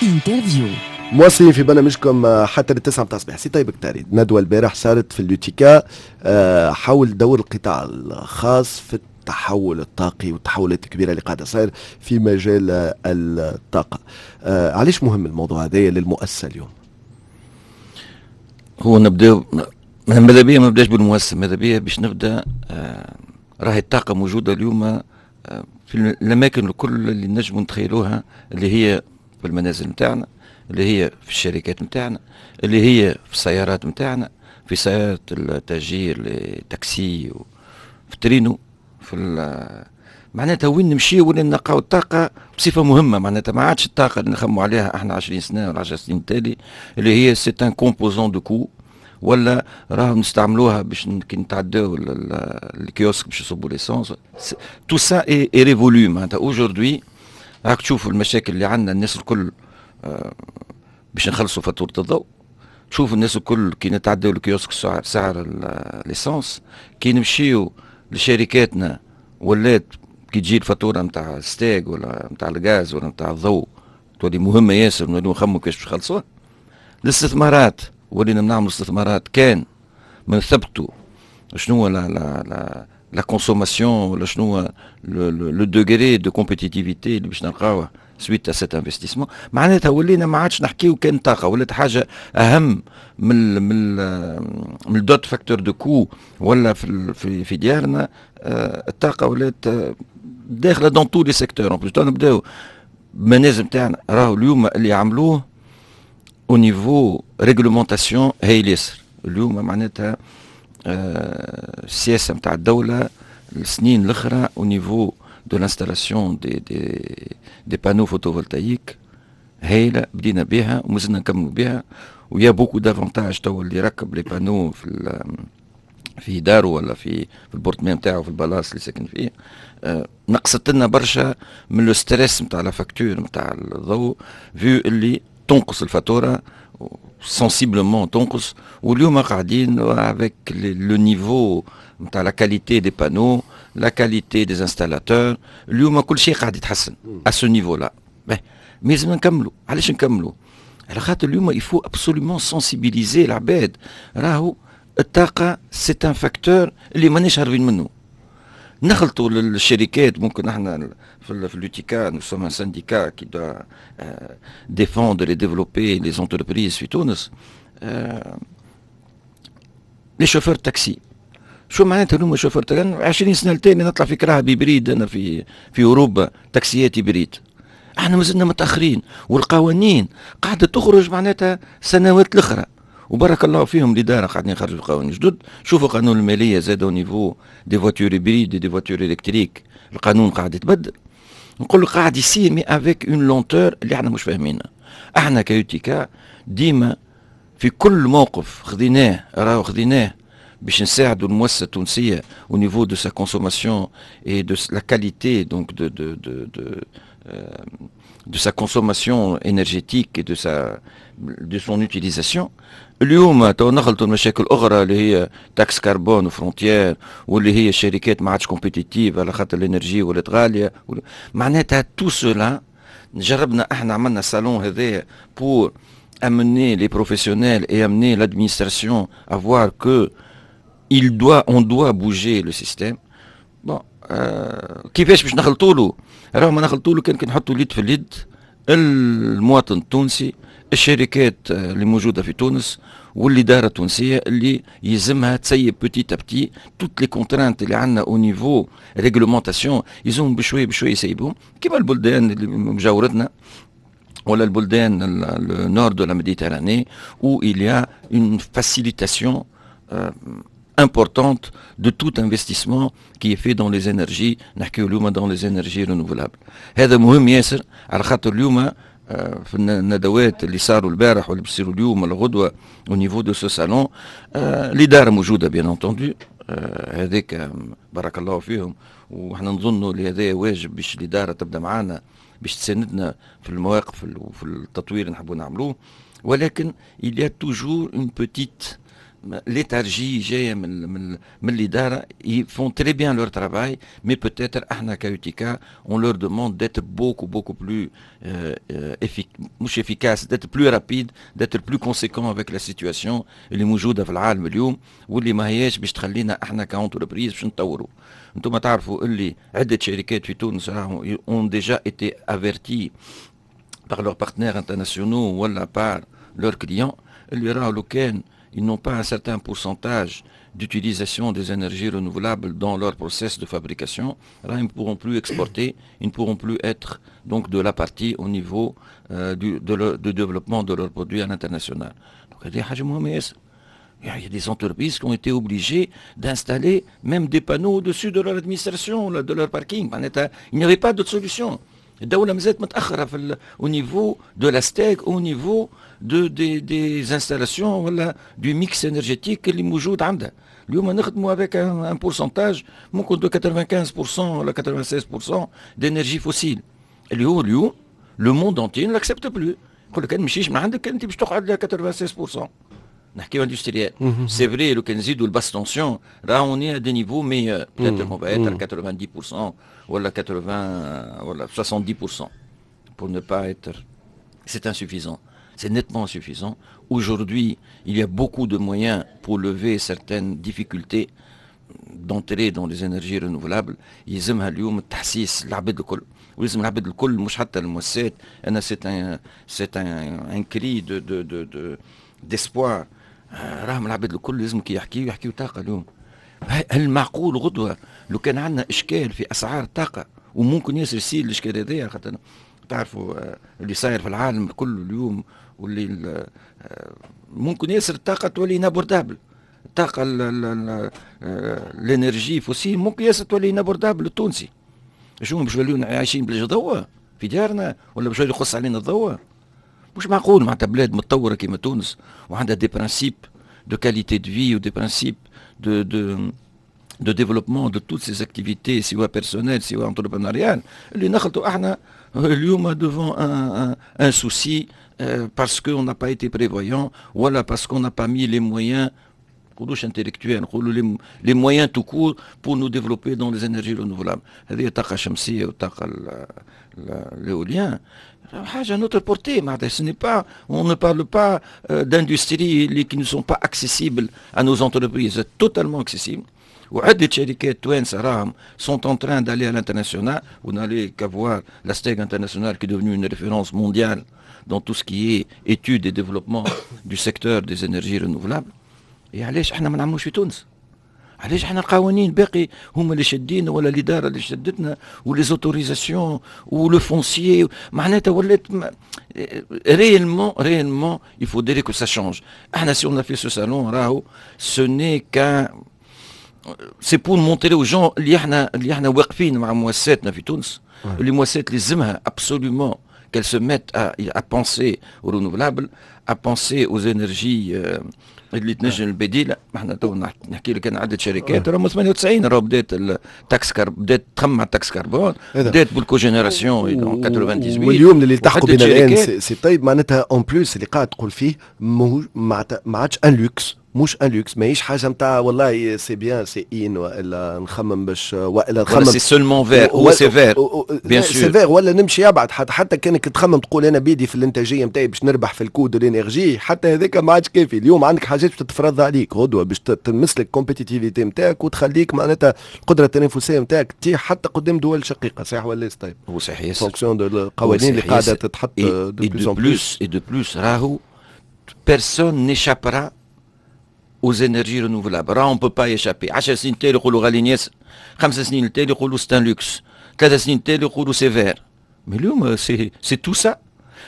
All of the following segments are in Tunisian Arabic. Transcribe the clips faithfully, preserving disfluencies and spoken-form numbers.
interview. مواصلين في برنامجكم حتى للتسعة متاع الصباح. سي طيب كتاري، ندوة البارح صارت في l'UTICA آه، حول دور القطاع الخاص في التحول الطاقي والتحولات الكبيرة اللي قاعدة صاير في مجال الطاقة. آه، علاش مهم الموضوع هذا للمؤسسة اليوم؟ هو نبداو، ماذا بيا ما نبداش بالمؤسسة، ماذا بيا باش نبدا آه راهي الطاقة موجودة اليوم آه في الأماكن الكل اللي نجموا نتخيلوها، اللي هي في المنازل نتاعنا، اللي هي في الشركات نتاعنا، اللي هي في السيارات نتاعنا، في سيارات التأجير، التاكسي، في الترينو، في معناتها وين نمشي وين نلقاو الطاقة بصفة مهمة. معناتها ما عادش الطاقة اللي نخموا عليها احنا عشرين سنة ولا عشر سنين تالي، اللي هي c'est un composant de coût، ولا راهم نستعملوها باش كي نتعداو الكيوسك باش يصبوا l'essence. tout ça est révolu. معناتها aujourd'hui راك تشوفوا المشاكل اللي عندنا الناس الكل آه، باش نخلصوا فاتورة الضوء. تشوف الناس الكل كي نتعداو الكيوسك سعر, سعر l'essence، كي نمشيو لشركاتنا ولات كي تجي الفاتورة نتاع ستاغ ولا نتاع الغاز ولا نتاع الضوء تولي مهمة ياسر، نوليو نخمو كيفاش باش نخلصوها. الاستثمارات، ولينا نعملوا استثمارات كان ما نثبتوا شنو la la la la consommation ولا شنو le degré de compétitivité اللي باش نلقاوه suite à cet investissement. معناتها ولينا ما عادش نحكيو كان طاقه، ولات حاجة اهم من من من d'autres facteurs de coût ولا في في, في ديارنا. آه، الطاقة ولات داخله dans tous les secteurs. en plus نبداو المنازل نتاعنا، راهو اليوم اللي عملوه au niveau réglementation هايل ياسر اليوم. معناتها آه، السياسة نتاع الدولة السنين الاخرى au niveau de l'installation des des des panneaux photovoltaïques هايله، بدينا بها ومازلنا نكملوا بها، و y a beaucoup d'avantages. تو اللي يركب les panneaux في في داره ولا في في ال appartement نتاعو، في البلاص اللي ساكن فيه، آه نقصت لنا برشا من le stress نتاع la facture نتاع الضوء، vu اللي تنقص الفاتورة sensiblement تنقص. واليوم قاعدين avec le niveau نتاع la qualité des panneaux، la qualité des installateurs، اليوم كل شيء قاعد يتحسن à ce niveau-là. mais لازم نكملوا. علاش نكملوا؟ على خاطر اليوم il faut absolument sensibiliser العباد، راهو الطاقة c'est un facteur اللي ماناش هاربين منه. نخلطوا للشركات، ممكن احنا في في l'UTICA nous sommes un syndicat qui doit défendre et développer les entreprises في تونس. les chauffeurs taxi، شو معناتها اليوم chauffeur taxi؟ عشرين سنة التالي نطلع في كراهب hybrides. انا في في اوروبا تاكسيات hybrides، احنا مازلنا متاخرين، والقوانين قاعدة تخرج معناتها سنوات الاخرى، وبارك الله فيهم الادارة قاعدين يخرجوا قوانين جدد. شوفوا قانون المالية زاد au niveau des voitures hybrides، des voitures électriques، القانون قاعد يتبدل. نقول قاعد يصير mais avec une lenteur اللي احنا مش فاهمينها. احنا ك UTICA ديما في كل موقف خذيناه راهو خذيناه باش نساعدوا المؤسسة التونسية au niveau de sa consommation et de la qualité donc de de de de de sa consommation énergétique et de sa de son utilisation. اليوم تو نخلطوا المشاكل الاخرى اللي هي taxe carbone frontière، واللي هي الشركات ما عادش compétitives على خاطر l'énergie ولات غاليه. معناتها tout cela جربنا احنا، عملنا صالون هذايا pour amener les professionnels et amener l'administration à voir que il doit on doit bouger le système. bon آه كيفاش باش نخلطوا له؟ راهو ما نخلطوا له كان كي نحطوا اليد في اليد، المواطن التونسي، الشركات اللي موجودة في تونس، والادارة التونسية اللي يلزمها تسيب petit à petit toutes les contraintes اللي عندنا au niveau réglementation. يلزمهم بشوية بشوية يسيبهم كيما البلدان اللي مجاورتنا ولا البلدان le nord de la Méditerranée où il y a une facilitation euh, importante de tout investissement qui est fait dans les énergies، نحكيو اليوم dans les énergies renouvelables. هذا مهم ياسر على خاطر اليوم في الندوات اللي صاروا البارح واللي بيصيروا اليوم ولا غدوه au niveau de ce salon، الادارة موجودة bien entendu، هذاك بارك الله فيهم، وحنا نظنوا اللي هذا واجب باش الادارة تبدا معنا باش تساندنا في المواقف وفي التطوير اللي نحبوا نعملوه. ولكن il y a toujours une petite léthargie جاية من من من الاداره. ils font très bien leur travail، mais peut-être احنا ك UTICA on leur demande d'être beaucoup beaucoup plus مش efficace، d'être plus rapide، d'être plus conséquent avec la situation اللي موجودة في العالم اليوم، واللي ما هياش باش تخلينا احنا ك entreprises باش نطوروا. انتم تعرفوا اللي عده شركات في تونس راهم ont déjà été averties par leurs partenaires internationaux ولا par leurs clients اللي راهو لو كان ils n'ont pas un certain pourcentage d'utilisation des énergies renouvelables dans leur process de fabrication، là, ils ne pourront plus exporter، ils ne pourront plus être donc de la partie au niveau euh, du de, le, de développement de leurs produits à l'international. Donc هذه حاجة مهمة ياسر. Il y a des entreprises qui ont été obligées d'installer même des panneaux au-dessus de leur administration، de leur parking. Il n'y avait pas d'autre solution. الدولة مازالت متأخرة في au niveau de la STEG، au niveau de des des installations ولا du mix énergétique اللي موجود عندها. اليوم نخدموا avec un pourcentage ممكن de quatre-vingt-quinze pour cent ولا quatre-vingt-seize pour cent d'énergie fossile، اللي هو اليوم le monde entier ne l'accepte plus. يقول لك نمشيش من عندك، انت باش تقعد ل quatre-vingt-seize pour cent. نحكيو industriel، c'est vrai، لو كان نزيدوا ال basse tension راه on est à des niveaux meilleurs، peut-être on va être quatre-vingt-dix pour cent ولا quatre-vingts ولا soixante-dix pour cent pour ne pas être. c'est insuffisant، c'est nettement insuffisant. Aujourd'hui، il y a beaucoup de moyens pour lever certaines difficultés d'entrer dans les énergies renouvelables. يلزمها اليوم التحسيس العباد الكل، ويلزم العباد الكل مش حتى المؤسسات. انا c'est un c'est un un cri de de de de d'espoir. راهم العباد الكل لازم كي يحكيو يحكيو طاقة اليوم. هل معقول غدوه لو كان عندنا اشكال في اسعار الطاقه، وممكن ياسر يصير الاشكال هذايا، خاطر تعرفوا آه، اللي صاير في العالم كله اليوم، واللي آه، ممكن ياسر الطاقة تولي inabordable، الطاقة l'énergie fossile ممكن ياسر تولي inabordable للتونسي. شو باش نوليو عايشين بلاش ضوء في ديارنا ولا باش يقص علينا الضوء؟ مش معقول معناتها بلاد متطورة كيما تونس وعندها des principes de qualité de vie و des principes de de de développement de toutes ces activités، سواء personnelles سواء entrepreneuriales، اللي نخلطوا احنا اليوم devant un, un, un souci euh, parce qu'on n'a pas été prévoyant ولا parce qu'on n'a pas mis les moyens، نقولوش intellectuels، نقولوا les moyens tout court pour nous développer dans les énergies renouvelables. هذه الطاقة الشمسية والطاقة l'éolien حاجة notre portée. معناتها ce n'est pas on ne parle pas d'industries اللي qui ne sont pas accessibles à nos entreprises، totalement accessibles. وعدة شركات توانسة راهم sont en train d'aller à l'international. Vous n'allez qu'à voir la STEG internationale qui est devenue une référence mondiale dans tout ce qui est études et développement du secteur des énergies renouvelables. إيه علاش احنا ما نعملوش في تونس؟ علاش احنا القوانين باقي هما اللي شادين ولا الادارة اللي شدتنا و les autorisations و le foncier؟ معناتها ولات réellement réellement il faudrait que ça change. احنا si on a fait ce salon راهو ce n'est qu'un c'est pour montrer aux gens اللي احنا اللي احنا واقفين مع مؤسساتنا في تونس، اللي مؤسسات لازمها absolument qu'elles se mettent à, à penser aux renouvelables، à penser aux énergies اللي تنجم البديله. احنا تو نحكي لك انا عده شركات راهم ثمانية وتسعين راهو بدات ال taxe car بدات تخمم على ال taxe carbone، بدات بال cogénération ثمانية وتسعين. واليوم اللي التحقوا بنا الان سي طيب، معناتها en plus اللي قاعد تقول فيه ما عادش un luxe، مش un luxe، ماهيش حاجة نتاع والله c'est bien، c'est in والا نخمم باش والا نخمم c'est seulement vert، هو c'est vert bien sûr، c'est vert. ولا نمشي ابعد، حتى حتى كانك تخمم تقول انا بيدي في الانتاجية نتاعي باش نربح في ال coût de l'énergie، حتى هذاك ما عادش كافي. اليوم عندك حاجات باش تتفرض عليك غدوه باش تمس لك compétitivité نتاعك وتخليك معناتها القدرة التنافسية نتاعك تطيح حتى قدام دول شقيقه. صحيح ولا طيب؟ هو صحيح. fonction de القوانين اللي قاعدة تتحط de plus en plus et de plus، راهو personne n'échappera aux énergies renouvelables. راه on peut pas échapper. عشر سنين تالي يقولوا غاليين ياسر، خمس سنين تالي يقولوا c'est un luxe، ثلاث سنين تالي يقولوا c'est vert. Mais اليوم c'est c'est tout ça.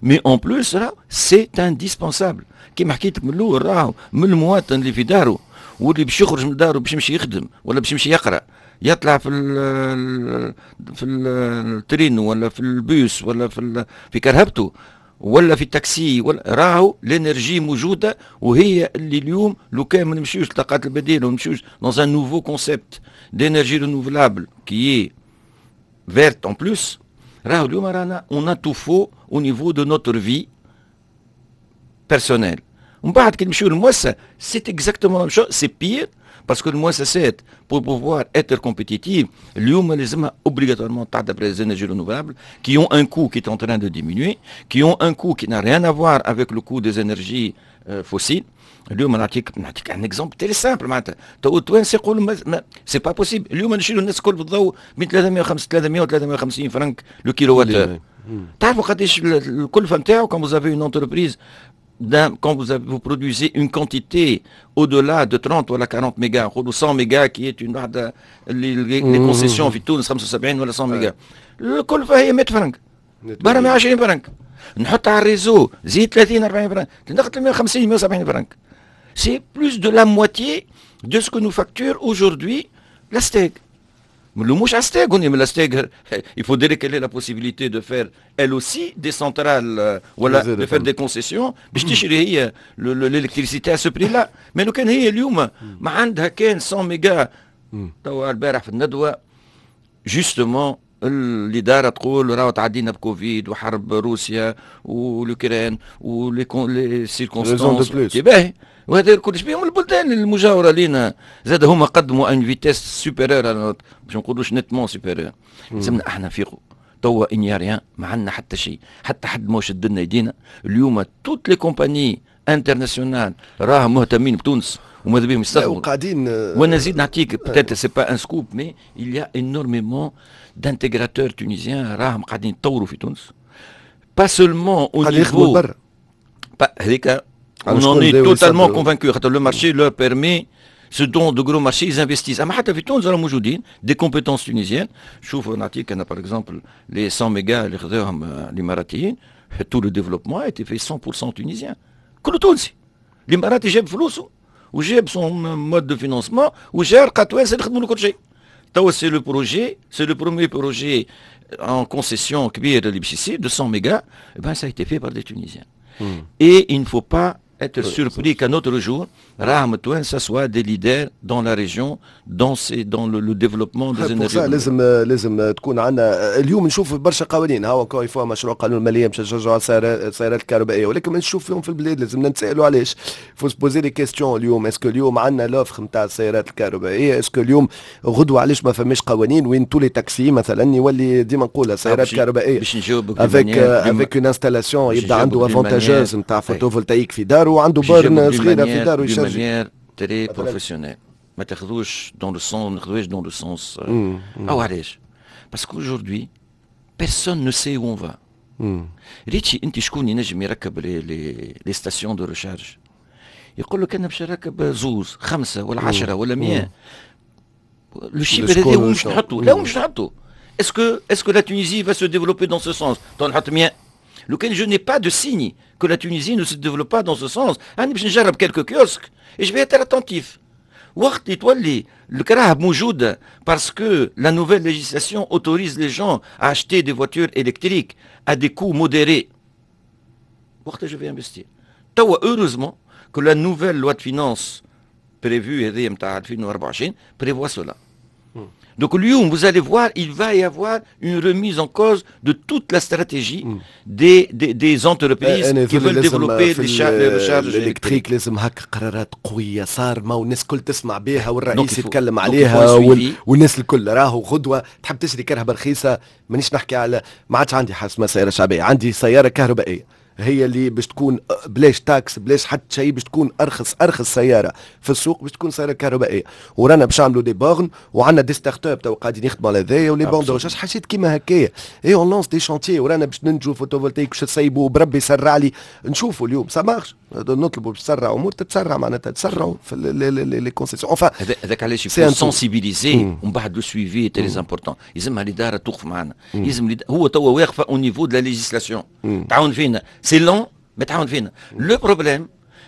Mais en plus راه c'est indispensable. كيما حكيت لك من الاول، راهو من المواطن اللي في داره واللي باش يخرج من داره باش يمشي يخدم ولا باش يمشي يقرا، يطلع في ال في ال train ولا في البوس ولا في في كرهبته ولا في التاكسي ولا، راهو l'énergie موجودة وهي اللي اليوم لو كان ما نمشيوش للطاقات البديلة ونمشيوش dans un nouveau concept d'énergie renouvelable qui est verte en plus، راهو اليوم رانا on a tout faux au niveau de notre vie personnelle. ومن بعد كي نمشيو للمؤسسه، c'est exactement, c'est pire, parce que المؤسسات pour pouvoir être compétitives اليوم لازمها obligatoirement تعدى les énergies renouvelables qui ont un coût qui est en train de diminuer, qui ont un coût qui n'a rien à voir avec le coût des énergies euh, fossiles. اليوم نعطيك نعطيك un exemple très simple، معناتها تو التوانسة يقولوا c'est pas possible. اليوم نشريو الناس الكل بالضوء بين ثلاثمية وخمسة ثلاثمية و ثلاثمية وخمسين فرنك le kilowattheure. تعرفوا قداش الكلفة نتاعو quand vous avez une entreprise, quand vous, avez, vous produisez une quantité au-delà de trente ou quarante mégas, ou cent mégas qui est une واحدة les, les concessions في تونس خمسة وسبعين ولا مية ميجا، الكلفة هي مية فرنك، برا مية وعشرين فرنك، نحط على ال réseau زيد ثلاثين أربعين فرنك، تنقل مية وخمسين مية وسبعين فرنك. C'est plus de la moitié de ce que nous facture aujourd'hui la STEG. ما نلوموش على STEG, mais la STEG, il faudrait qu'elle ait la possibilité de faire elle aussi des centrales, ولا de faire des concessions باش تشري هي l'électricité à ce prix-là. Mais لو كان هي اليوم ما عندها كان مية ميجا. توا البارح في الندوة justement الادارة تقول راهو تعدينا بكوفيد وحرب روسيا و l'Ukraine و les circonstances، باهي، وهذا الكل بهم البلدان المجاورة لنا زاد هما قدموا une vitesse supérieure، باش نقولوش nettement supérieure. لازمنا احنا نفيقوا توا، il n'y a rien، ما عندنا حتى شيء، حتى حد ما شد لنا يدينا. اليوم toutes les compagnies internationales راهم مهتمين بتونس وماذا بهم يستثمروا. وقاعدين. وانا نزيد نعطيك peut-être c'est pas un scoop, mais il y a énormément d'intégrateurs tunisiens راهم قاعدين يطوروا في تونس, pas seulement au niveau هذيك, on en est totalement convaincu. Le marché leur permet ce dont de gros marchés, ils investissent. اما حتى في تونس راهم موجودين des compétences tunisiennes. شوفوا نعطيك انا par exemple les cent mégas اللي خذوهم الاماراتيين، tout le développement a été fait cent pour cent tunisien، كله تونسي. الاماراتي جاب فلوسه وجاب son mode de financement وجا لقى توانسة يخدموا له كل شيء. توا c'est le projet, c'est le premier projet en concession كبير اللي باش يصير deux cents mégas, eh ben ça a été fait par des Tunisiens. Mm. Et il ne faut pas être surpris qu'un autre jour, راهم التوانسة soient des leaders dans la région, dans, ces, dans le, le développement des énergies. لازم لازم تكون عندنا اليوم نشوف برشا قوانين، هاو encore une fois مشروع قانون المالية باش نشجعوا السيارات الكهربائيه، ولكن نشوف فيهم في البلاد لازم نتسالوا علاش، faut se poser les questions. اليوم est-ce que اليوم عندنا l'offre نتاع السيارات الكهربائيه؟ est-ce que اليوم غدوه علاش ما فماش قوانين وين tous les taxis مثلا يولي، ديما نقولها، سيارات كهربائية باش نجاوبك avec avec une installation يبدا عنده avantageuse نتاع photovoltaïque في داره وعنده borne صغيرة في داره يشارجي manière très professionnelle. ما تاخذوش dans le sens، ما تاخذوش dans le sens او علاش؟ parce qu'aujourd'hui personne ne sait où on va. ريتشي انت شكون ينجم يركب les les les stations de recharge؟ يقول لك انا باش نركب زوز، خمسة ولا عشرة ولا مية. le chiffre هذا مش نحطو، لا مش نحطو. est-ce que est-ce que la Tunisie va se développer dans ce sens؟ نحط مية، لو كان je n'ai pas de signe que la Tunisie ne se développe pas dans ce sens، انا باش نجرب quelques kiosques et je vais être attentif. وقت تولي الكراهب موجودة parce que la nouvelle législation autorise les gens à acheter des voitures électriques à des coûts modérés، وقتها je vais investir. توا heureusement que la nouvelle loi de finances prévue هذه نتاع ألفين وأربعة وعشرين prévoit cela. Donc اليوم vous allez voir, il va y avoir une remise en cause de toute la stratégie mm. des, des, des entreprises qui veulent développer des recharges électriques. لازم هكا قرارات قوية صارمة والناس الكل تسمع بها والرئيس يتكلم عليها والناس الكل. راهو غدوة تحب تشري كرهبة رخيصة، مانيش نحكي على ما عادش عندي حاجة سيارة شعبية، عندي سيارة كهربائية هي اللي باش تكون بلاش taxe، بلاش حتى شيء، باش تكون ارخص ارخص سيارة في السوق باش تكون سيارة كهربائيه. ورانا باش نعملوا des bornes وعندنا des startups تو قاعدين يخدموا على هذايا و les bornes de recharge، حاجات كيما هكايا، et on lance des chantiers. ورانا باش ننتجوا photovoltaïque باش تسيبوا بربي يسرع لي. نشوفوا اليوم ça marche، نطلبوا باش تسرع امور تتسرع، معناتها تسرعوا في les concessions enfin. هذاك علاش il faut sensibiliser ومن بعد le suivi très important. يلزمها الادارة توقف معنا، يلزم هو توا واقفة au niveau de la législation تعاون فينا، c'est lent mais تعاون فينا. le problème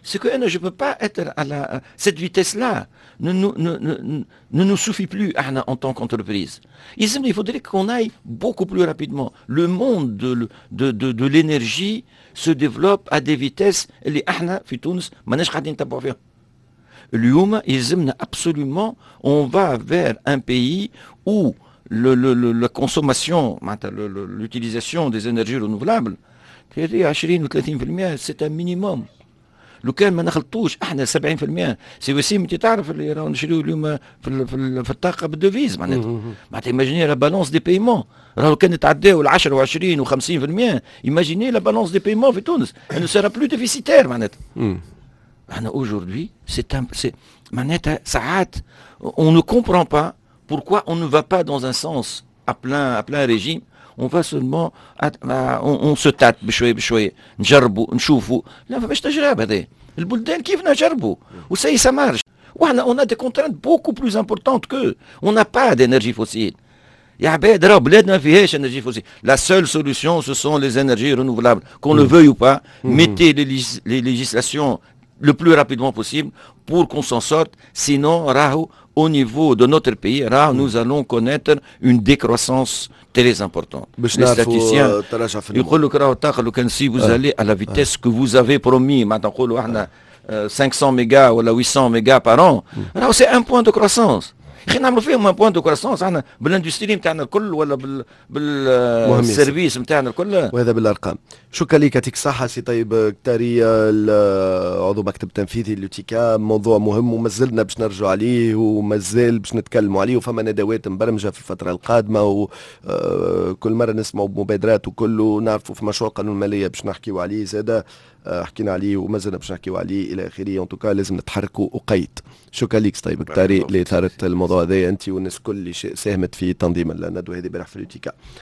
c'est que أنا je ne peux pas être à la, cette vitesse-là ne, ne, ne, ne, ne nous suffit plus احنا en tant qu'entreprise. Il faudrait qu'on aille beaucoup plus rapidement. Le monde de, de, de, de l'énergie se développe à des vitesses اللي احنا في تونس ماناش قاعدين نتبعوا فيها. اليوم يلزمنا absolument, on va vers un pays où le, le, le, la consommation, l'utilisation des énergies renouvelables vingt ou trente pour cent, c'est un minimum. لو كان ما نخلطوش احنا سبعين في المية، سي وسيم انت تعرف اللي راهو نشريو اليوم في في, في الطاقة بال devise. معناتها معناتها imaginez la balance des paiements، راهو كان نتعداو ال عشرة وعشرين وخمسين في المية، imaginez la balance des paiements في تونس، elle ne sera plus déficitaire. معناتها احنا aujourd'hui c'est c'est معناتها ساعات on ne comprend pas pourquoi on ne va pas dans un sens à plein à plein régime، on va seulement on, on se tâte بشوية بشويه، نجربوا نشوفوا. لا، فماش تجربه. هذا البلدان كيف نجربوا و ça y est ça marche، وحنا on a des contraintes beaucoup plus importantes que on n'a pas d'énergie fossile. يا عباد، راه بلادنا ما فيهاش énergie fossile. la seule solution ce sont les énergies renouvelables، qu'on le veuille ou pas. mettez les, les législations le plus rapidement possible pour qu'on s'en sorte. Sinon, راهو au niveau de notre pays, راهو nous allons connaître une décroissance très importante. Les statisticiens يقول لك راهو الطاقة لو كان si vous allez à la vitesse que vous avez promis، معناتها نقولوا احنا خمسمية ميجا ولا ثمنمية méga par an، راهو c'est un point de croissance. اخي نعملوا فيهم un point de croissance احنا بال industrie نتاعنا الكل ولا بال بال services نتاعنا الكل؟ وهذا بالارقام. شكرا لك، يعطيك الصحة سي طيب كتاري، عضو مكتب تنفيذي l'UTICA. موضوع مهم ومازلنا باش نرجعوا عليه ومازال باش نتكلموا عليه، وفما ندوات مبرمجة في الفترة القادمة، وكل مرة نسمعوا بمبادرات وكله. نعرفوا في مشروع قانون المالية باش نحكيوا عليه زادة، آه، حكينا عليه وما زلنا باش نحكيو عليه الى اخره. en tout cas لازم نتحركوا وقيت. شكرا لك طيب كتاري لاثاره الموضوع هذا، انت والناس الكل اللي ساهمت في تنظيم الندوة هذه امبارح في l'UTICA.